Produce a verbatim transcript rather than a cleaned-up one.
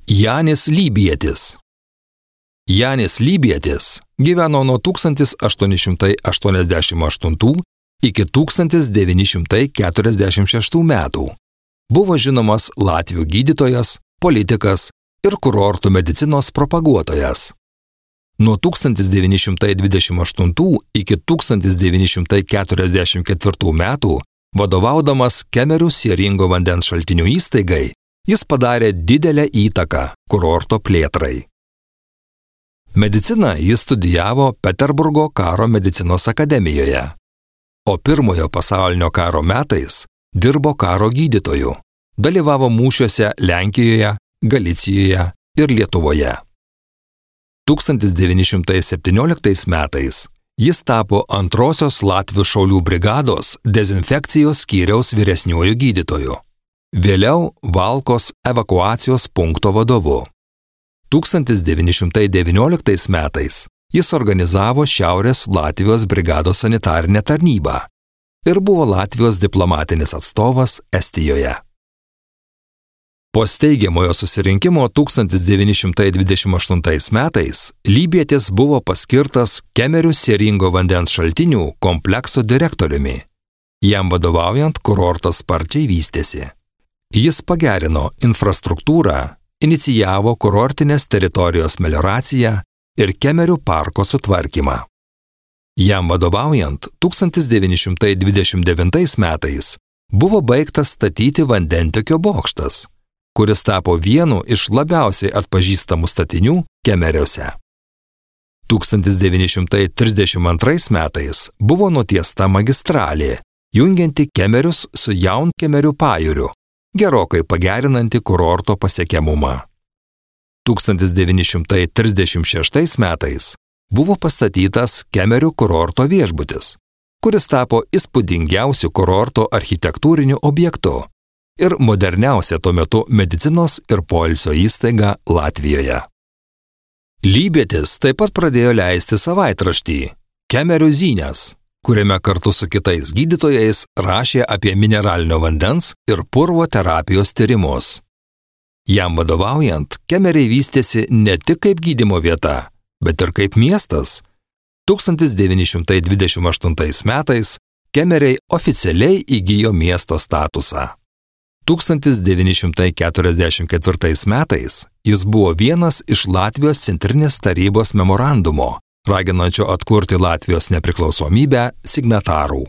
Janis Lybietis. Janis Lybietis gyveno nuo tūkstantis aštuoni šimtai aštuoniasdešimt aštuntų iki tūkstantis devyni šimtai keturiasdešimt šeštų metų. Buvo žinomas latvių gydytojas, politikas ir kurortų medicinos propaguotojas. Nuo tūkstantis devyni šimtai dvidešimt aštuntų iki tūkstantis devyni šimtai keturiasdešimt ketvirtų metų, vadovaudamas Kemerių sieringo vandens šaltinių įstaigai, jis padarė didelę įtaką kurorto plėtrai. Mediciną jis studijavo Peterburgo karo medicinos akademijoje, o pirmojo pasaulinio karo metais dirbo karo gydytoju, dalyvavo mūšiuose Lenkijoje, Galicijoje ir Lietuvoje. tūkstantis devyni šimtai septynioliktais metais jis tapo antrosios Latvių šaulių brigados dezinfekcijos skyriaus vyresniuoju gydytoju. Vėliau Valkos evakuacijos punkto vadovu. tūkstantis devyni šimtai devynioliktais metais jis organizavo Šiaurės Latvijos brigados sanitarinę tarnybą ir buvo Latvijos diplomatinis atstovas Estijoje. Po steigiamojo susirinkimo tūkstantis devyni šimtai dvidešimt aštuntais metais Lybietis buvo paskirtas Kemerių sieringo vandens šaltinių komplekso direktoriumi. Jam vadovaujant kurortas sparčiai vystėsi. Jis pagerino infrastruktūrą, inicijavo kurortinės teritorijos melioraciją ir Kemerių parko sutvarkymą. Jam vadovaujant tūkstantis devyni šimtai dvidešimt devintais metais buvo baigtas statyti vandentiekio bokštas, kuris tapo vienu iš labiausiai atpažįstamų statinių Kemeriuose. tūkstantis devyni šimtai trisdešimt antrais metais buvo nutiesta magistralė, jungianti Kemerius su Jaunkemerių pajūriu, gerokai pagerinanti kurorto pasiekiamumą. tūkstantis devyni šimtai trisdešimt šeštais metais buvo pastatytas Kemerių kurorto viešbutis, kuris tapo įspūdingiausiu kurorto architektūriniu objektu ir moderniausia tuo metu medicinos ir poilsio įstaiga Latvijoje. Lybietis taip pat pradėjo leisti savaitraštį Kemerių žinios, kuriame kartu su kitais gydytojais rašė apie mineralinio vandens ir purvo terapijos tyrimus. Jam vadovaujant, Kemeriai vystėsi ne tik kaip gydymo vieta, bet ir kaip miestas. tūkstantis devyni šimtai dvidešimt aštuntais metais Kemeriai oficialiai įgijo miesto statusą. tūkstantis devyni šimtai keturiasdešimt ketvirtais metais jis buvo vienas iš Latvijos centrinės tarybos memorandumo, raginančio atkurti Latvijos nepriklausomybę signatarų.